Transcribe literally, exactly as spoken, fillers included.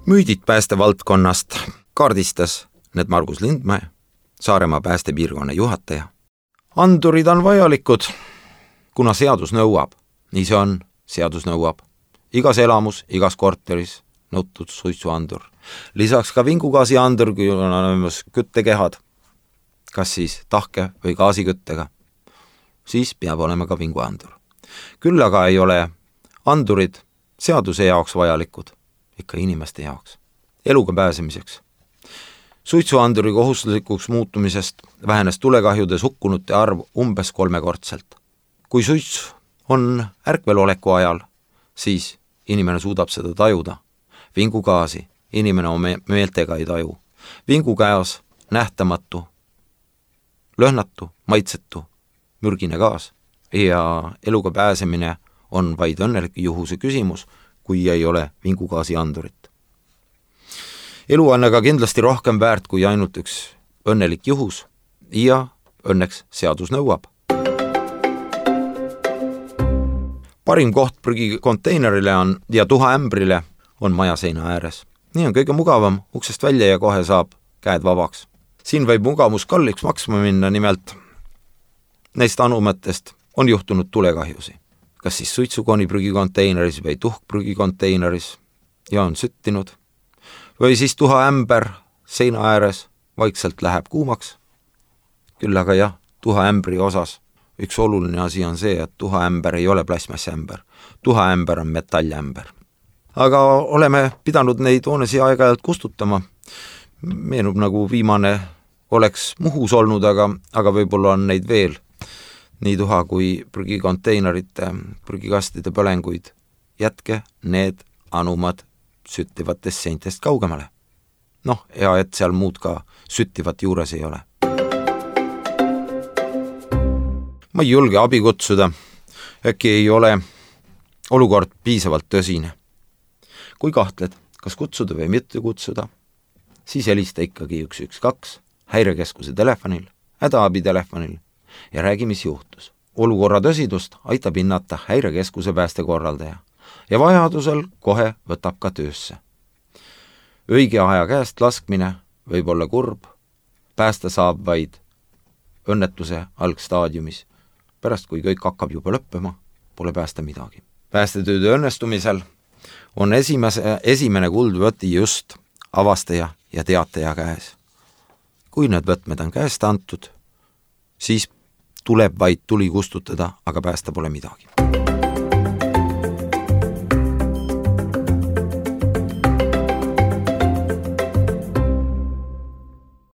Müüdid päästevaldkonnast kaardistas need Margus Lindmäe, Saaremaa päästepiirkonna juhataja. Andurid on vajalikud, kuna seadus nõuab. Nii see on, seadus nõuab. Igas elamus, igas korteris nõutud suitsuandur. Lisaks ka vingugaasi andur, kui on olemas küttekehad, kas siis tahke või gaasiküttega, siis peab olema ka vinguandur. Küll aga ei ole andurid seaduse jaoks vajalikud, ikka inimeste jaoks, eluga pääsemiseks. Suitsuanduri kohustuslikuks muutumisest vähenes tulekahjudes hukkunute arv umbes kolmekordselt. Kui suits on ärkveloleku ajal, siis inimene suudab seda tajuda. Vingugaasi inimene oma meeltega ei taju. Vingukäes nähtamatu, lõhnatu, maitsetu, mürgine gaas ja eluga pääsemine on vaid õnnelik juhuse küsimus, kui ei ole vingugaasi andurit. Elu on aga kindlasti rohkem väärt kui ainult üks õnnelik juhus ja õnneks seadus nõuab. Parim koht prügikonteinerile on ja tuhaämbrile on majaseina ääres. Nii on kõige mugavam uksest välja ja kohe saab käed vabaks. Siin võib mugavus kalliks maksma minna, nimelt neist anumatest on juhtunud tulekahjusi. Kas siis suitsukoni prügikonteineris või tuhkprügikonteineris ja on süttinud. Või siis tuhaämber seina ääres vaikselt läheb kuumaks. Küll aga jah, tuhaämbri osas üks oluline asi on see, et tuhaämber ei ole plasmassämber. Tuhaämber on metallämber. Aga oleme pidanud neid hoonesi aeg-ajalt kustutama. Meenub nagu viimane oleks Muhus olnud, aga, aga võib-olla on neid veel. Nii tuha kui prügikonteinerite, prügikastide põlenguid. Jätke need anumad süttivatest seintest kaugemale. Noh, ja et seal muud ka süttivat juures ei ole. Ma ei julge abi kutsuda, äkki ei ole olukord piisavalt tõsine. Kui kahtled, kas kutsuda või mitte kutsuda, siis helista ikkagi üks üks kaks häirekeskuse telefonil, hädaabitelefonil ja räägi, mis juhtus. Olukorra tõsidust aitab hinnata häirekeskuse päästekorraldaja ja vajadusel kohe võtab ka töösse. Õige aja käest laskmine võib olla kurb, päästa saab vaid õnnetuse algstaadiumis. Pärast, kui kõik hakkab juba lõppema, pole päästa midagi. Päästetööde õnnestumisel on esimese, esimene kuldvõti just avastaja ja teataja käes. Kui need võtmed on käest antud, siis tuleb vaid tuli kustutada, aga päästa pole midagi.